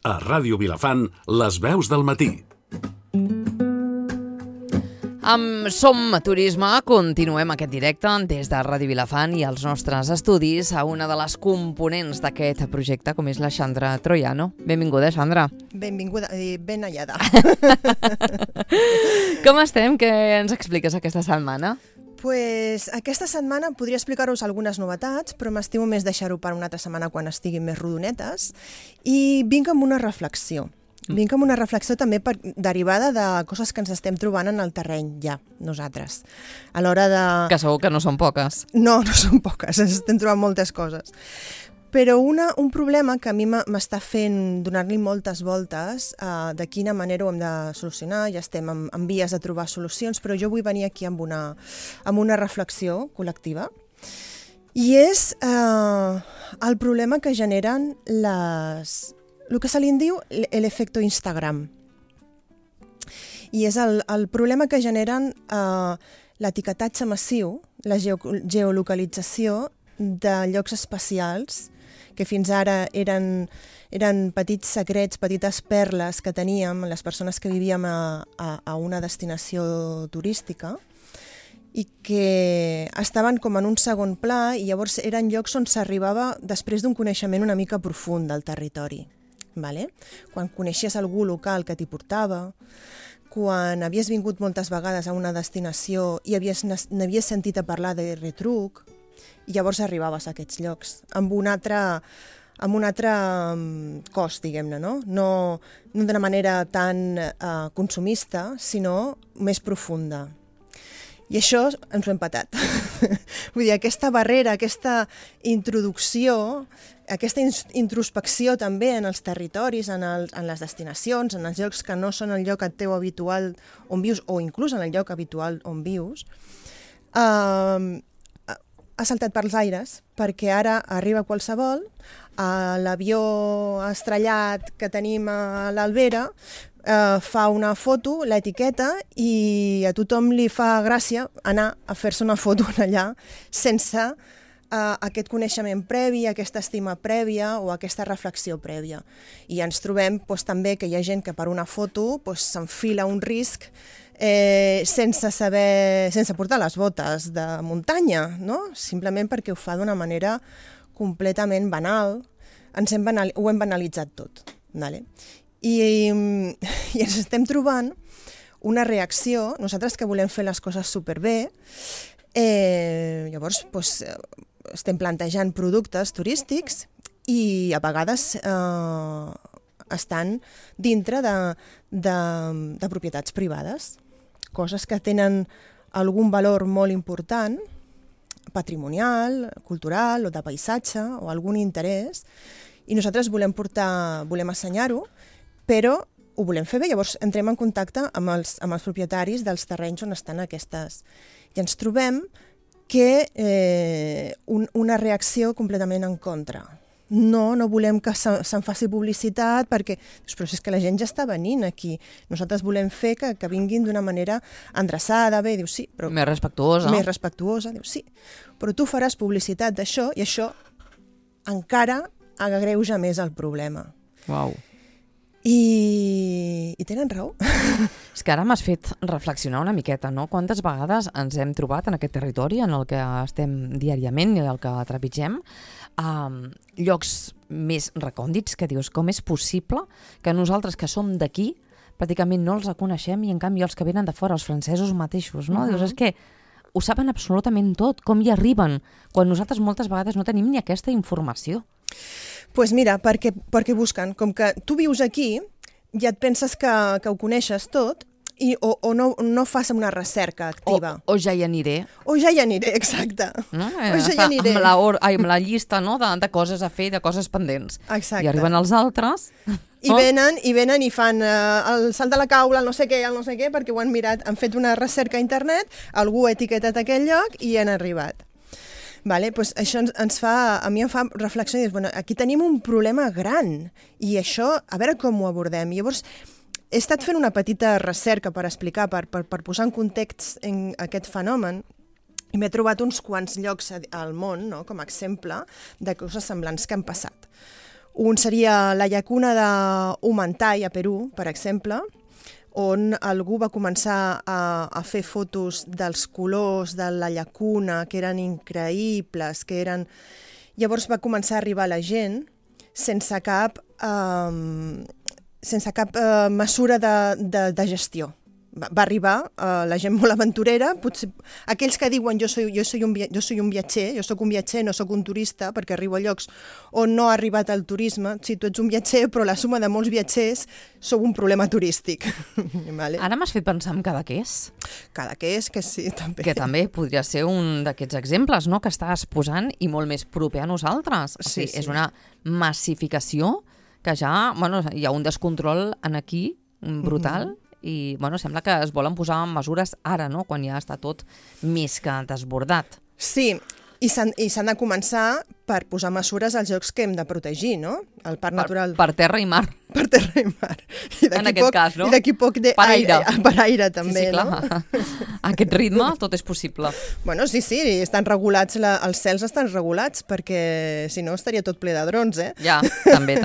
A Ràdio Vilafant, les veus del matí. Amb Som Turisme continuem aquest directe des de Ràdio Vilafant i els nostres estudis a una de les components d'aquest projecte, com és la Xandra Troiano. Benvinguda, Xandra. Benvinguda i ben hallada. Com estem? Què ens expliques aquesta setmana? Pues aquesta setmana podria explicar-vos algunes novetats, però m'estimo més deixar-ho per una altra setmana quan estiguin més rodonetes. I vinc amb una reflexió. Vinc amb una reflexió també derivada de coses que ens estem trobant en el terreny ja, nosaltres. A l'hora de... Que segur que no són poques. No són poques, ens estem trobant moltes coses. Però un problema que a mi m'està fent donar-li moltes voltes de quina manera ho hem de solucionar, ja estem en vies de trobar solucions, però jo vull venir aquí amb una reflexió col·lectiva, i és el problema que generen el que se li diu l'efecte Instagram. I és el problema que generen l'etiquetatge massiu, la geolocalització de llocs especials que fins ara eren petits secrets, petites perles que teníem les persones que vivíem a una destinació turística i que estaven com en un segon pla, i llavors eren llocs on s'arribava després d'un coneixement una mica profund del territori. Vale? Quan coneixies algú local que t'hi portava, quan havies vingut moltes vegades a una destinació i n'havies sentit a parlar de retruc, i llavors arribaves a aquests llocs amb un altre cost, diguem-ne, no d'una manera tan consumista, sinó més profunda. I això ens ho hem patat. Vull dir, aquesta barrera, aquesta introducció, aquesta introspecció també en els territoris, en les destinacions, en els llocs que no són el lloc teu habitual on vius, o inclús en el lloc habitual on vius, ha saltat pels aires, perquè ara arriba qualsevol, l'avió estrellat que tenim a l'Albera, fa una foto, l'etiqueta, i a tothom li fa gràcia anar a fer-se una foto allà sense aquest coneixement previ, aquesta estima prèvia o aquesta reflexió prèvia. I ens trobem també que hi ha gent que per una foto s'enfila un risc sense portar les botes de muntanya, no? Simplement perquè ho fa d'una manera completament banal. Ho hem banalitzat tot. Vale? I ens estem trobant una reacció, nosaltres que volem fer les coses superbé, llavors estem plantejant productes turístics i a vegades estan dintre de propietats privades, coses que tenen algun valor molt important, patrimonial, cultural o de paisatge o algun interès, i nosaltres volem assenyar-ho, però ho volem fer bé. Llavors entrem en contacte amb els propietaris dels terrenys on estan aquestes. I ens trobem que una reacció completament en contra. No volem que se'n faci publicitat perquè però és que la gent ja està venint aquí. Nosaltres volem fer que vinguin d'una manera endreçada, bé, diu sí. Però més respectuosa. Més respectuosa, diu sí. Però tu faràs publicitat d'això i això encara agreuja més el problema. Uau. I tenen raó. És que ara m'has fet reflexionar una miqueta, no? Quantes vegades ens hem trobat en aquest territori en el que estem diàriament i el que trepitgem, llocs més recòndits que dius, com és possible que nosaltres que som d'aquí pràcticament no els reconeixem i en canvi els que venen de fora, els francesos mateixos, no? Dius, és que ho saben absolutament tot, com hi arriben, quan nosaltres moltes vegades no tenim ni aquesta informació. Doncs mira, perquè busquen, com que tu vius aquí, ja et penses que ho coneixes tot, o no fas una recerca activa. O ja hi aniré. O ja hi aniré, exacte. No? O ja hi aniré. Amb la llista, no? de coses a fer, de coses pendents. Exacte. I arriben els altres. I venen i fan el salt de la caula, el no sé què, perquè ho han mirat, han fet una recerca a internet, algú ha etiquetat aquell lloc i han arribat. Vale? Pues això a mi em fa reflexionar i dir, bueno, aquí tenim un problema gran i això, a veure com ho abordem. Llavors, he estat fent una petita recerca per explicar, per posar en context en aquest fenomen, i m'he trobat uns quants llocs al món, no?, com a exemple de coses semblants que han passat. Un seria la llacuna de Humantay, a Perú, per exemple, on algú va començar a fer fotos dels colors de la llacuna, que eren increïbles, que eren... Llavors va començar a arribar la gent sense cap mesura de gestió. Va arribar la gent molt aventurera, potser aquells que diuen jo soy un viatger, jo sóc un viatger, no sóc un turista, perquè arribo a llocs on no ha arribat el turisme. Sí, tu ets un viatger, però la suma de molts viatgers sou un problema turístic. Vale? Ara m'has fet pensar en Cadaqués. Cadaqués, que sí, també. Que també podria ser un d'aquests exemples, no?, que estàs posant i molt més proper a nosaltres. O sigui, és una massificació que ja, bueno, hi ha un descontrol aquí brutal. I sembla que es volen posar mesures ara, no?, quan ja està tot més que desbordat. Sí, i s'han de començar per posar mesures als llocs que hem de protegir, no? El parc natural... Per terra i mar. Per terra i mar. En aquest cas, no? I d'aquí poc... Per aire. Per aire, també, sí, clar. No? A aquest ritme tot és possible. Bueno, sí, estan regulats, els cels estan regulats, perquè si no estaria tot ple de drons, eh? Ja, també.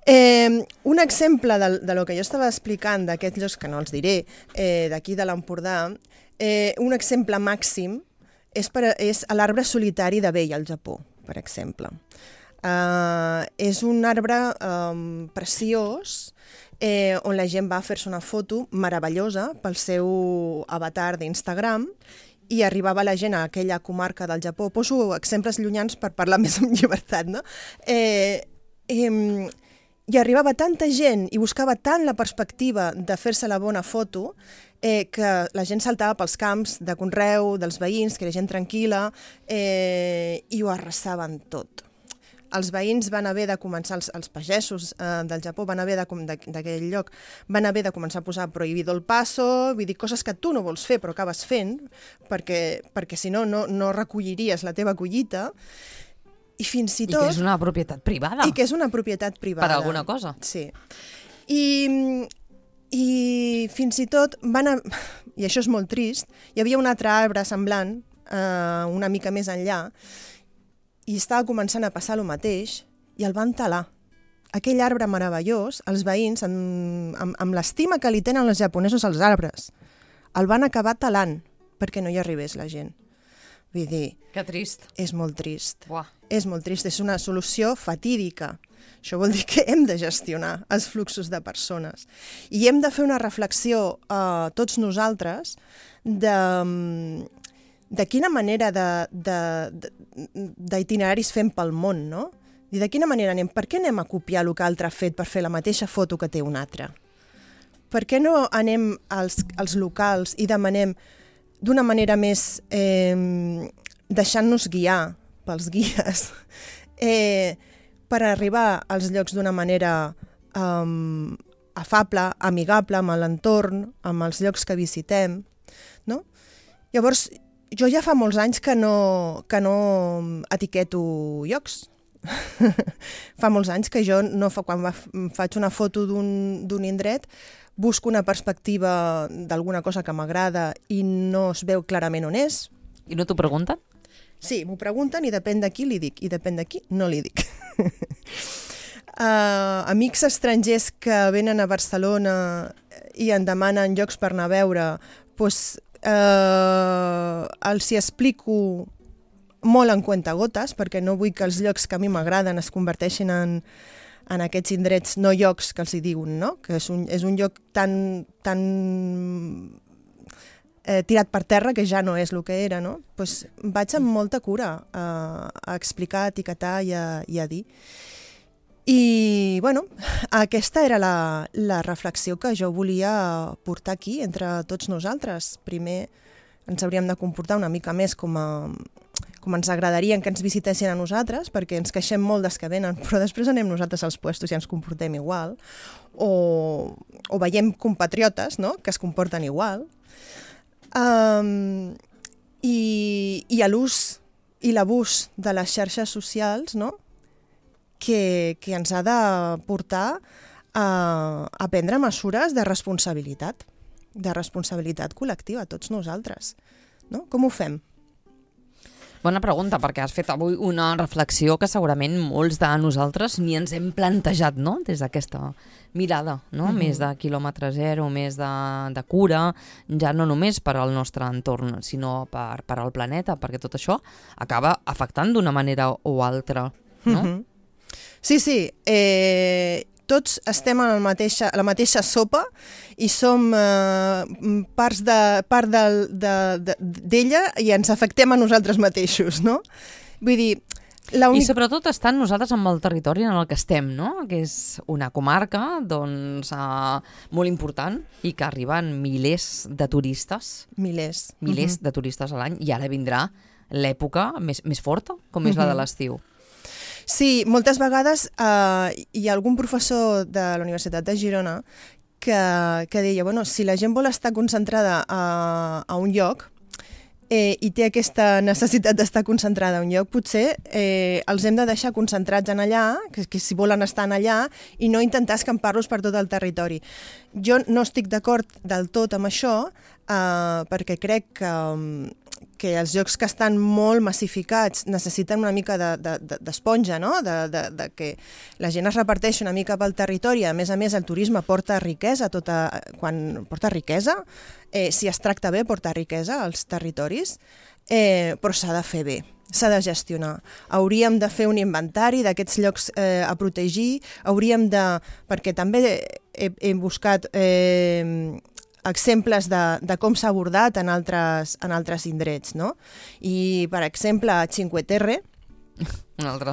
Un exemple de lo que jo estava explicant d'aquests llocs, que no els diré, d'aquí de l'Empordà, un exemple màxim és l'arbre solitari de Bei, al Japó, per exemple. És un arbre preciós on la gent va a fer-se una foto meravellosa pel seu avatar d'Instagram i arribava la gent a aquella comarca del Japó. Poso exemples llunyans per parlar més amb llibertat, no? I arribava tanta gent i buscava tant la perspectiva de fer-se la bona foto que la gent saltava pels camps de conreu, dels veïns, que era gent tranquil·la, i ho arrasaven tot. Els veïns van haver de començar, els pagesos del Japó d'aquell lloc, van haver de començar a posar prohibido el paso, vull dir, coses que tu no vols fer però acabes fent, perquè si no, no recolliries la teva collita. I fins i tot... I que és una propietat privada. I que és una propietat privada. Per alguna cosa. Sí. I fins i tot i això és molt trist, hi havia un altre arbre semblant, una mica més enllà, i estava començant a passar el mateix, i el van talar. Aquell arbre meravellós, els veïns, amb l'estima que li tenen els japonesos als arbres, el van acabar talant perquè no hi arribés la gent. Vull dir... Que trist. És molt trist. Buah. És molt trist, és una solució fatídica. Això vol dir que hem de gestionar els fluxos de persones. I hem de fer una reflexió tots nosaltres de quina manera d'itineraris fem pel món, no? I de quina manera anem? Per què anem a copiar el que l'altre ha fet per fer la mateixa foto que té un altre? Per què no anem als locals i demanem d'una manera més deixant-nos guiar pels guies per arribar als llocs d'una manera afable, amigable amb l'entorn, amb els llocs que visitem, no? Llavors, jo ja fa molts anys que no etiqueto llocs. Fa molts anys que jo quan faig una foto d'un indret busco una perspectiva d'alguna cosa que m'agrada i no es veu clarament on és. I no t'ho pregunten? Sí, m'ho pregunten i depèn de qui li dic, i depèn de qui no li dic. Amics estrangers que venen a Barcelona i en demanen llocs per anar a veure, doncs els hi explico molt en cuentagotes, perquè no vull que els llocs que a mi m'agraden es converteixin en aquests indrets no llocs que els hi diuen, no? Que és un lloc tan tirat per terra que ja no és el que era, no? Pues vaig amb molta cura a explicar, a etiquetar i a dir. I, bueno, aquesta era la reflexió que jo volia portar aquí entre tots nosaltres. Primer ens hauríem de comportar una mica més com ens agradaria que ens visitessin a nosaltres, perquè ens queixem molt dels que venen, però després anem nosaltres als puestos i ens comportem igual, o veiem compatriotes, no?, que es comporten igual, i a l'ús i l'abús de les xarxes socials, no?, que ens ha de portar a prendre mesures de responsabilitat col·lectiva, tots nosaltres, no? Com ho fem? Bona pregunta, perquè has fet avui una reflexió que segurament molts de nosaltres ni ens hem plantejat, no?, des d'aquesta mirada, no? Més de quilòmetre zero, més de cura, ja no només per al nostre entorn, sinó per al planeta, perquè tot això acaba afectant d'una manera o altra, no? Sí, tots estem en la mateixa sopa i som part d'ella i ens afectem a nosaltres mateixos, no? Vull dir, I sobretot estan nosaltres amb el territori en el que estem, no? Que és una comarca doncs, molt important i que arriben milers de turistes. Milers de turistes a l'any, i ara vindrà l'època més forta, com és la de l'estiu. Sí, moltes vegades hi ha algun professor de la Universitat de Girona que deia, bueno, si la gent vol estar concentrada a un lloc i té aquesta necessitat d'estar concentrada a un lloc, potser els hem de deixar concentrats en allà, que si volen estar en allà, i no intentar escampar-los per tot el territori. Jo no estic d'acord del tot amb això, perquè crec que els llocs que estan molt massificats necessiten una mica d'esponja, no? De que la gent es reparteixi una mica pel territori. A més, el turisme porta riquesa, quan porta riquesa, si es tracta bé, porta riquesa als territoris, però s'ha de fer bé, s'ha de gestionar. Hauríem de fer un inventari d'aquests llocs a protegir, perquè també he buscat exemples de com s'ha abordat en altres indrets, no? I, per exemple, a Cinque Terre, un altre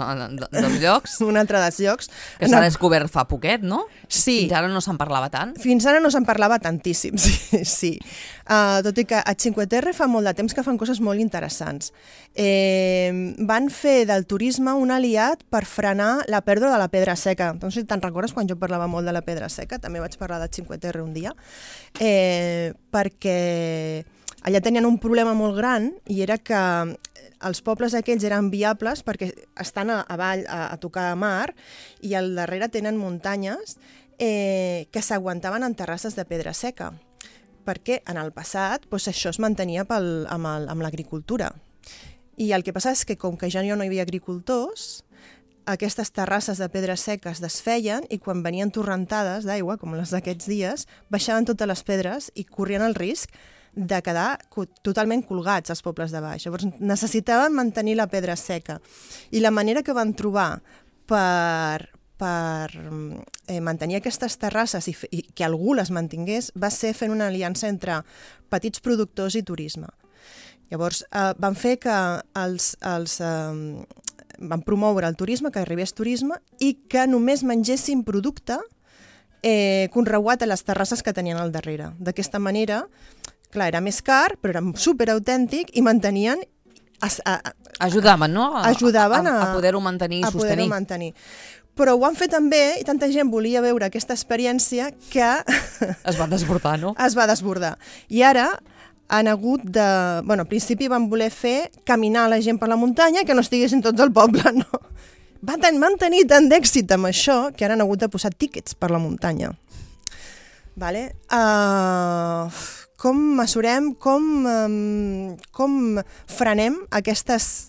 dels llocs. Un altre dels llocs. Que s'ha descobert fa poquet, no? Sí. Fins ara no se'n parlava tant. Fins ara no se'n parlava tantíssim, sí. Tot i que a Cinque Terre fa molt de temps que fan coses molt interessants. Van fer del turisme un aliat per frenar la pèrdua de la pedra seca. No sé si te'n recordes quan jo parlava molt de la pedra seca, també vaig parlar de Cinque Terre un dia, perquè allà tenien un problema molt gran i era que els pobles aquells eren viables perquè estan avall a tocar mar i al darrere tenen muntanyes que s'aguantaven en terrasses de pedra seca, perquè en el passat això es mantenia amb l'agricultura. I el que passa és que com que ja no hi havia agricultors, aquestes terrasses de pedra seca es desfeien i quan venien torrentades d'aigua, com les d'aquests dies, baixaven totes les pedres i corrien el risc de quedar totalment colgats als pobles de baix. Llavors necessitaven mantenir la pedra seca. I la manera que van trobar per mantenir aquestes terrasses i que algú les mantingués va ser fent una aliança entre petits productors i turisme. Llavors van fer que van promoure el turisme, que arribés turisme i que només mengessin producte conreuat a les terrasses que tenien al darrere. D'aquesta manera, clar, era més car, però era superautèntic i mantenien... Ajudaven, no? Ajudaven a poder-ho mantenir i sostenir. Però ho van fer també, i tanta gent volia veure aquesta experiència que... Es va desbordar, no? Es va desbordar. I ara han hagut de... Bueno, al principi van voler fer caminar la gent per la muntanya i que no estiguessin tots al poble, no? Van tenir tant d'èxit amb això que ara han hagut de posar tíquets per la muntanya. Vale? Com mesurem, com frenem aquestes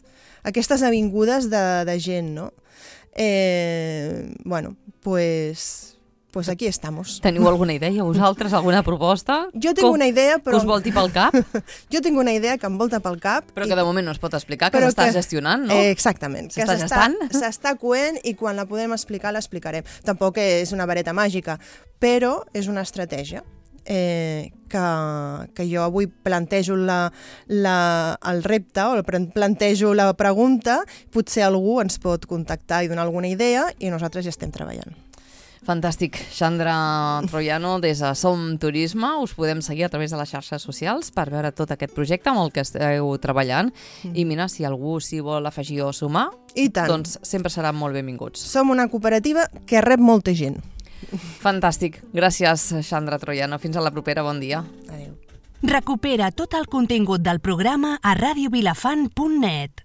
avingudes de gent, no? Bueno, pues aquí estamos. Teniu alguna idea, vosaltres? Alguna proposta? Jo tinc una idea, però... Que us volti pel cap? Jo tinc una idea que em volta pel cap. Però que de moment no es pot explicar, que s'està gestionant, no? Exactament. S'està gestant? S'està coent i quan la podem explicar l'explicarem. Tampoc és una vareta màgica, però és una estratègia que jo avui plantejo el repte o plantejo la pregunta, potser algú ens pot contactar i donar alguna idea i nosaltres ja estem treballant. Fantàstic. Sandra Troiano, des de Som Turisme, us podem seguir a través de les xarxes socials per veure tot aquest projecte amb el que esteu treballant. I mira, si algú s'hi vol afegir o sumar, doncs sempre seran molt benvinguts. Som una cooperativa que rep molta gent. Fantàstic. Gràcies, Sandra Troiano. Fins a la propera. Bon dia. Adéu. Recupera tot el contingut del programa a radiovilafant.net.